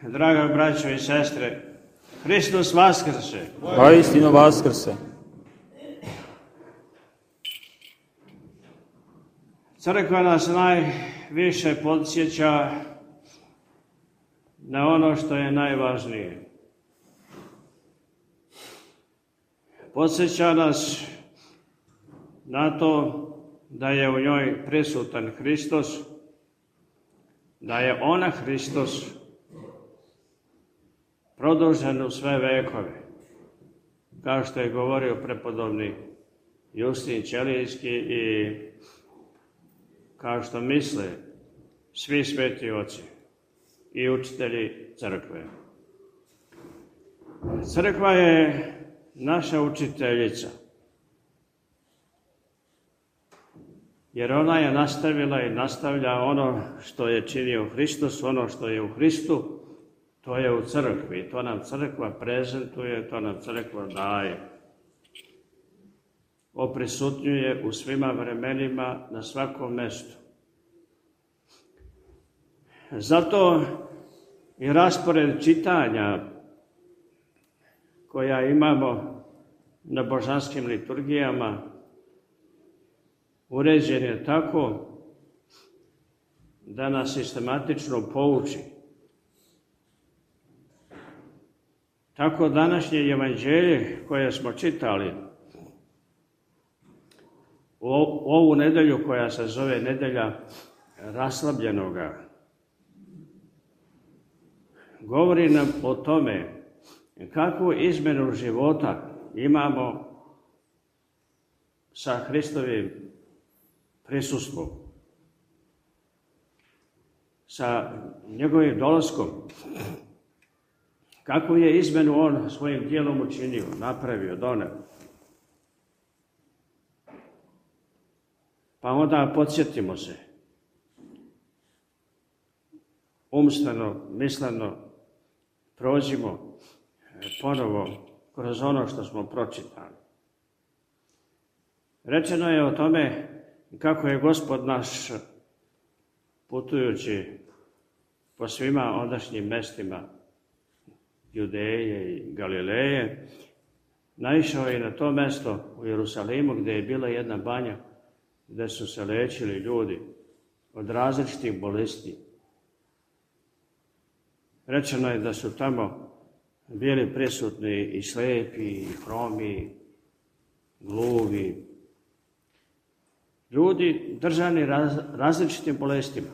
Draga braćo i sestre, Hristos vaskrse. Vaistinu vaskrse. Crkva nas najviše podsjeća na ono što je najvažnije. Podsjeća nas na to da je u njoj prisutan Hristos, da je ona Hristos produžen u sve vekove, kao što je govorio prepodobni Justin Ćelijski i kao što misle svi sveti oci i učitelji crkve. Crkva je naša učiteljica, jer ona je nastavila i nastavlja ono što je činio Hristos, ono što je u Hristu, to je u crkvi, to nam crkva prezentuje, to nam crkva daje. Oprisutnjuje u svima vremenima, na svakom mestu. Zato i raspored čitanja koja imamo na božanskim liturgijama uređen je tako da nas sistematično pouči. Tako današnje evanđelje koje smo čitali u ovu nedelju koja se zove nedelja raslabljenoga, govori nam o tome kakvu izmenu života imamo sa Hristovim prisustvom, sa njegovim dolaskom. Kakvu je izmenu on svojim tijelom učinio, napravio, doneo. Pa onda podsjetimo se, umstveno, misleno, prođimo ponovo kroz ono što smo pročitali. Rečeno je o tome kako je Gospod naš, putujući po svima ondašnjim mestima Judeje i Galileje, naišao je na to mesto u Jerusalimu gdje je bila jedna banja gdje su se lečili ljudi od različitih bolesti. Rečeno je da su tamo bili prisutni i slepi, i hromi, gluvi, ljudi držani različitim bolestima.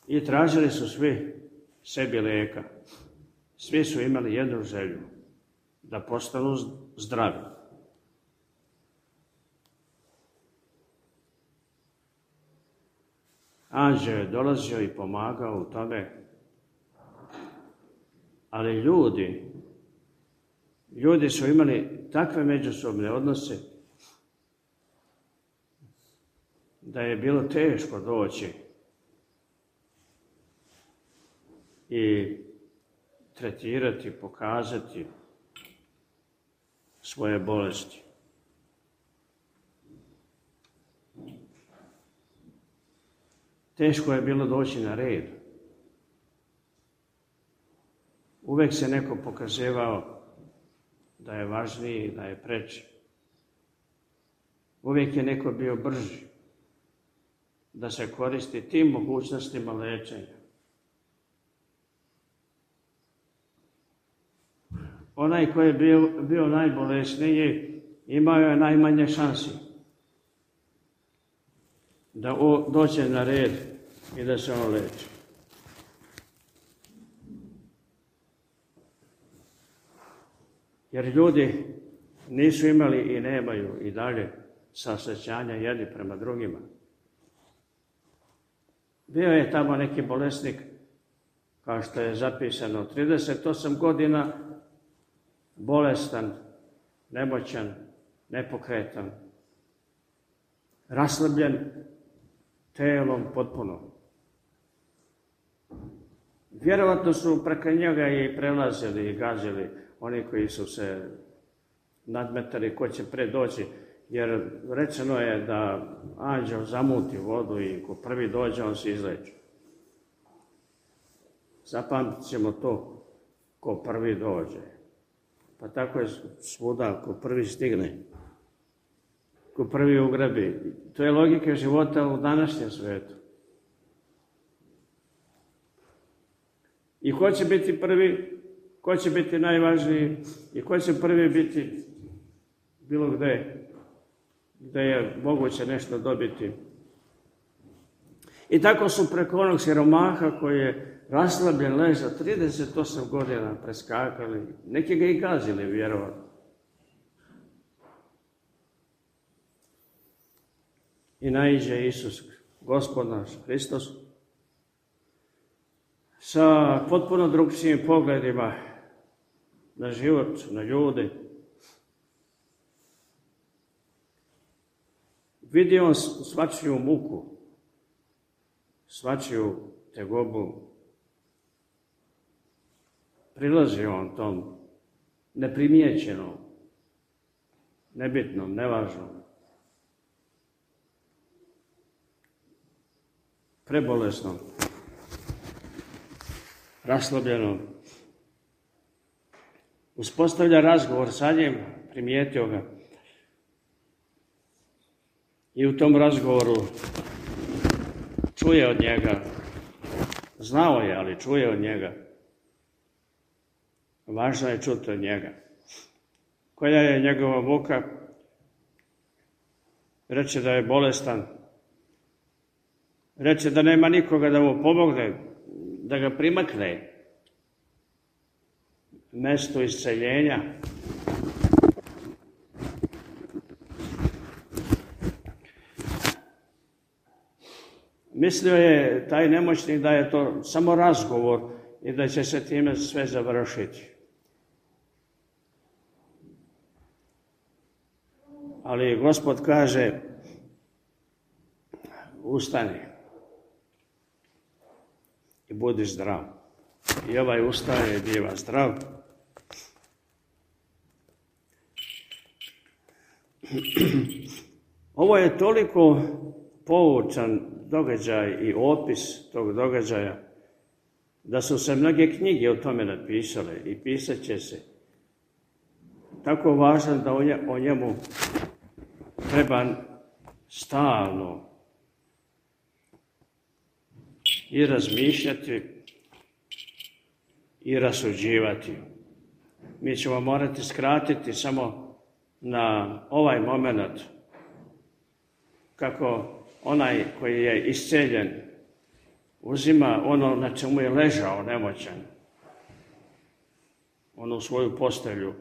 I tražili su svi sebi lijeka. Svi su imali jednu želju, da postanu zdravi. Anđeo je dolazio i pomagao u tome, ali ljudi su imali takve međusobne odnose da je bilo teško doći i tretirati, pokazati svoje bolesti. Teško je bilo doći na red. Uvijek se neko pokazivao da je važniji, da je preči. Uvijek je neko bio brži da se koristi tim mogućnostima lečenja. Onaj koji je bio najbolesniji imao je najmanje šansi da dođe na red i da se on leči. Jer ljudi nisu imali i nemaju i dalje saosjećanja jedni prema drugima. Bio je tamo neki bolesnik, kao što je zapisano, 38 godina, bolestan, nemoćan, nepokretan, raslabljen telom potpuno. Vjerovatno su preko njega i prelazili i gazili oni koji su se nadmetali ko će pre doći Jer rečeno je da anđeo zamuti vodu i ko prvi dođe, on se izleči. Zapamtit ćemo to, ko prvi dođe. Pa tako je svuda, ko prvi stigne, ko prvi ugrabi. To je logika života u današnjem svijetu. I ko će biti prvi, ko će biti najvažniji i ko će prvi biti bilo gde je moguće nešto dobiti. I tako su preko onog siromaha koji je raslabljen leža 38 godina preskakali, neki ga i gazili, vjerovatno. I naiđe Isus, Gospod naš, Hristos, sa potpuno drugčijim pogledima na život, na ljude. Vidi on svačiju muku, svačiju tegobu. Prilazi on tom neprimjećenom, nebitnom, nevažnom, prebolesnom, raslabljenom. Uspostavlja razgovor sa njim, primijetio ga. I u tom razgovoru čuje od njega, znao je, ali čuje od njega. Važno je čuti od njega. Koja je njegova muka? Reče da je bolestan. Reče da nema nikoga da mu pomogne, da ga primakne mesto isceljenja. Mislio je taj nemoćnik da je to samo razgovor i da će se time sve završiti. Ali Gospod kaže, ustani i budi zdrav. I ovaj ustaje i biva zdrav. Ovo je toliko poučan događaj i opis tog događaja da su se mnoge knjige o tome napisale i pisat će se. Tako važan da o njemu treba stalno i razmišljati i rasuđivati. Mi ćemo morati skratiti samo na ovaj moment kako onaj koji je isceljen uzima ono na čemu je ležao nemoćan, onu svoju postelju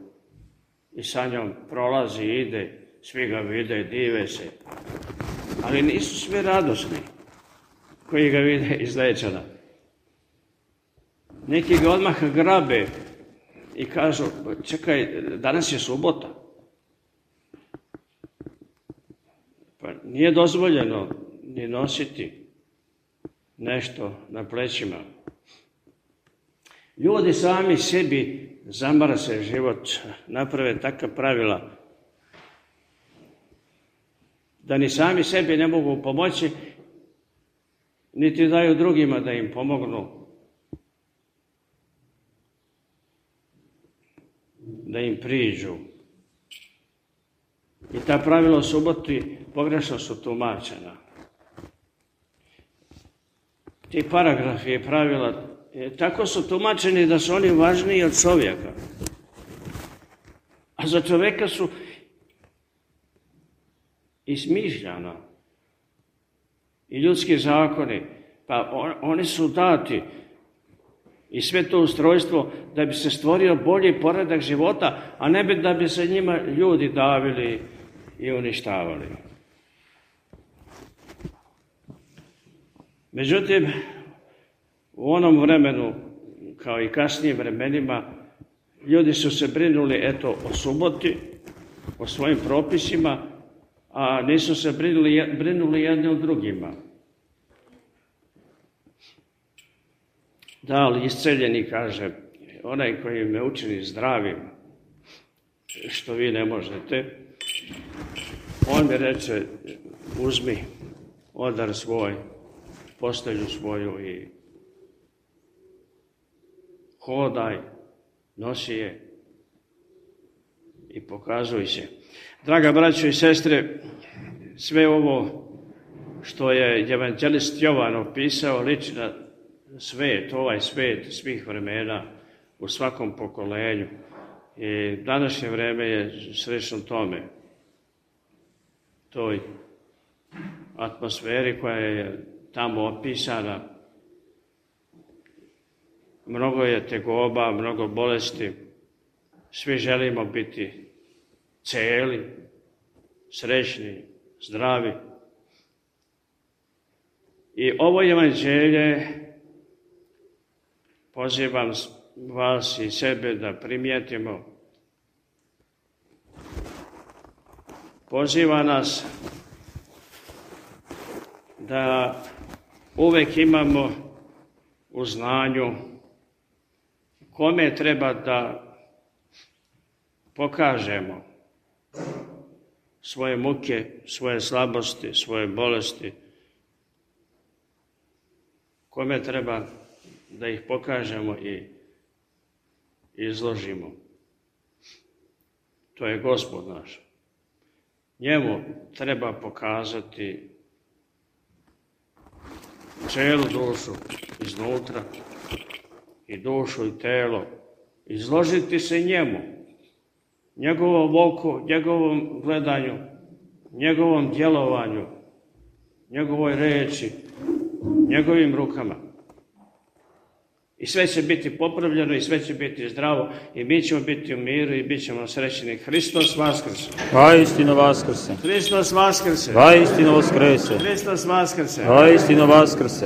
i sa njom prolazi i ide, svi ga vide, dive se. Ali nisu svi radosni koji ga vide izlečena. Neki ga odmah grabe i kažu, čekaj, danas je subota. Pa nije dozvoljeno ni nositi nešto na plećima. Ljudi sami sebi zamrse život, naprave takva pravila da ni sami sebi ne mogu pomoći, niti daju drugima da im pomognu, da im priđu. I ta pravila o suboti pogrešno su tumačena. Ti paragrafi i pravila tako su tumačeni da su oni važniji od čovjeka. A za čovjeka su izmišljana i ljudski zakoni, pa oni su dati i sve to ustrojstvo da bi se stvorio bolji poredak života, a ne da bi se njima ljudi davili i uništavali. Međutim, u onom vremenu, kao i kasnijim vremenima, ljudi su se brinuli o suboti, o svojim propisima, a nisu se brinuli jedni o drugima. Da, ali isceljeni kaže, onaj koji me učini zdravim, što vi ne možete, On mi reče, uzmi odar svoj, postelju svoju i hodaj, nosi je i pokazuj se. Draga braćo i sestre, sve ovo što je evanđelist Jovan opisao liči na svet, ovaj svet svih vremena u svakom pokolenju. I današnje vreme je slično tome, toj atmosferi koja je tamo opisana. Mnogo je tegoba, mnogo bolesti, svi želimo biti celi, srećni, zdravi. I ovo evanđelje pozivam vas i sebe da primijetimo. Poziva nas da uvek imamo u znanju kome treba da pokažemo svoje muke, svoje slabosti, svoje bolesti, kome treba da ih pokažemo i izložimo. To je Gospod naš. Njemu treba pokazati celu dušu iznutra i dušu i telo. Izložiti se njemu, njegovom oku, njegovom gledanju, njegovom djelovanju, njegovoj reči, njegovim rukama. I sve će biti popravljeno i sve će biti zdravo i mi ćemo biti u miru i bit ćemo srećni. Hristos vaskrse. Vaistinu vaskrse. Hristos vaskrse. Vaistinu vaskrese. Hristos vaskrse. Vaistinu vaskrse.